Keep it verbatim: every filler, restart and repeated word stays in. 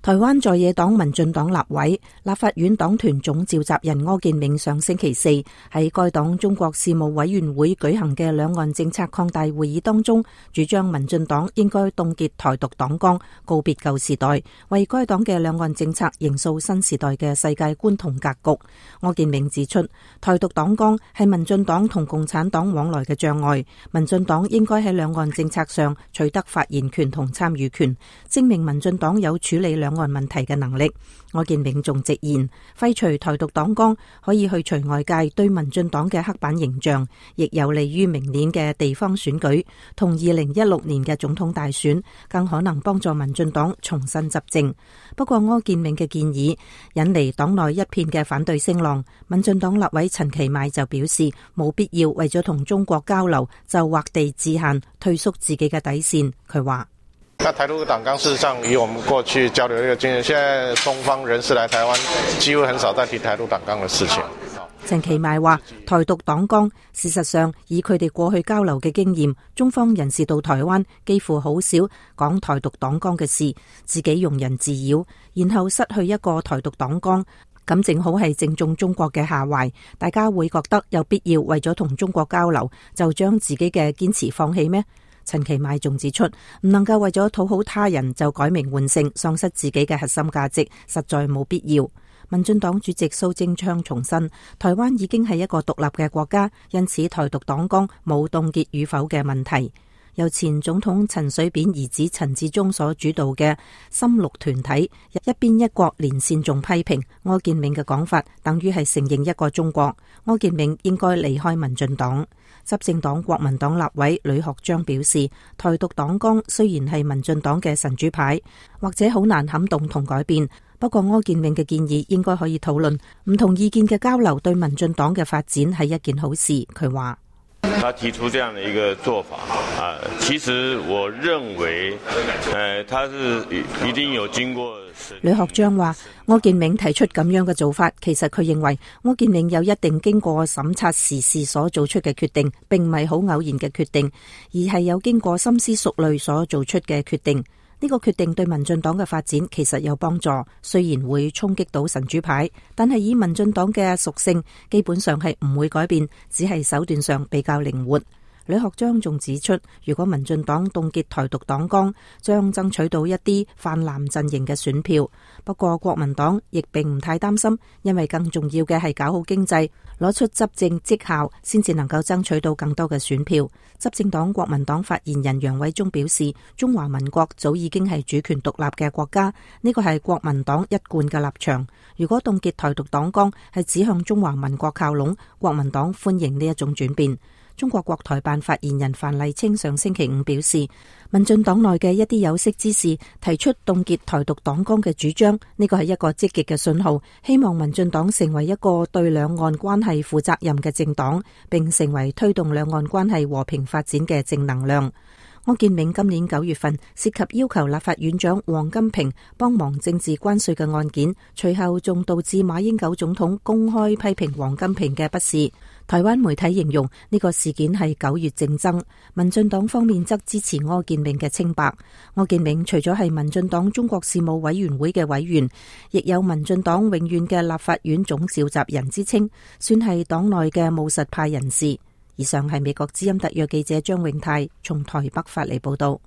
台灣在野黨民進黨立委、立法院黨團總召集人柯建銘上星期四喺該黨中國事務委員會舉行嘅兩岸政策擴大會議當中，主張民進黨應該凍結台獨黨綱，告別舊時代，為該黨嘅兩岸政策營造新時代嘅世界觀同格局。柯建銘指出，台獨黨綱係民進黨同共產黨往來嘅障礙，民進黨應該喺兩岸政策上取得發言權同參與權，證明民進黨有處理兩岸問題嘅能力。柯建銘仲直言，廢除台獨黨綱可以去除外界對民進黨嘅刻板形象，亦有利於明年嘅地方選舉同二零一六年嘅總統大選，更可能幫助民進黨重新執政。不過柯建銘嘅建議引嚟黨內一片嘅反對聲浪，民進黨立委陳其邁就表示冇必要為咗同中國交流就劃地自限，退縮自己嘅底線。佢話：那台獨黨綱事實上以我們過去交流的一個經驗，現在中方人士來台灣幾乎很少再提台獨黨綱的事情。陳其邁話，台獨黨綱事實上以佢哋過去交流嘅經驗，中方人士到台灣幾乎好少講台獨黨綱嘅事，自己庸人自擾，然後失去一個台獨黨綱，咁正好係正中中國嘅下懷。大家會覺得有必要為咗同中國交流，就將自己嘅堅持放棄咩？陳其邁仲指出，唔能夠為咗討好他人就改名換姓，喪失自己嘅核心價值，實在冇必要。民進黨主席蘇貞昌重申，台灣已經係一個獨立嘅國家，因此台獨黨綱冇凍結與否嘅問題。由前總統陳水扁兒子陳致中所主導嘅深綠團體一邊一國連線仲批評柯建銘嘅講法等於係承認一個中國，柯建銘應該離開民進黨。執政黨國民黨立委呂學章表示，台獨黨綱雖然係民進黨嘅神主牌，或者好難撼動同改變，不過柯建銘嘅建議應該可以討論，唔同意見嘅交流對民進黨嘅發展係一件好事。佢話：他提出這樣的一個做法啊，其實我認為，誒，他是一定有經過。呂學章話，柯建銘提出咁樣嘅做法，其實佢認為柯建銘有一定經過審查時事所做出嘅決定，並唔係好偶然嘅決定，而係有經過深思熟慮所做出嘅決定。呢個決定對民進黨嘅發展其實有幫助，雖然會衝擊到神主牌，但係以民進黨嘅屬性，基本上係唔會改變，只係手段上比較靈活。呂學章仲指出，如果民進黨凍結台獨黨綱，將爭取到一啲泛藍陣營嘅選票。不過國民黨亦並唔太擔心，因為更重要嘅係搞好經濟，攞出執政績效，先至能夠爭取到更多嘅選票。執政黨國民黨發言人楊偉忠表示，中華民國早已經係主權獨立嘅國家，呢個係國民黨一貫嘅立場。如果凍結台獨黨綱係指向中華民國靠攏，國民黨歡迎呢一種轉變。中國國台辦發言人范麗清上星期五表示，民進黨內嘅一啲有識之士提出凍結台獨黨綱嘅主張，呢個係一個積極嘅信號，希望民進黨成為一個對兩岸關係負責任嘅政黨，並成為推動兩岸關係和平發展嘅正能量。柯建銘今年九月份涉及要求立法院長王金平幫忙政治關稅嘅案件，隨後仲導致馬英九總統公開批評王金平嘅不是。台灣媒體形容呢個事件係九月政爭，民進黨方面則支持柯建銘嘅清白。柯建銘除咗係民進黨中國事務委員會嘅委員，亦有民進黨永遠嘅立法院總召集人之稱，算係黨內嘅務實派人士。以上係美國之音特約記者張永泰從台北發嚟報道。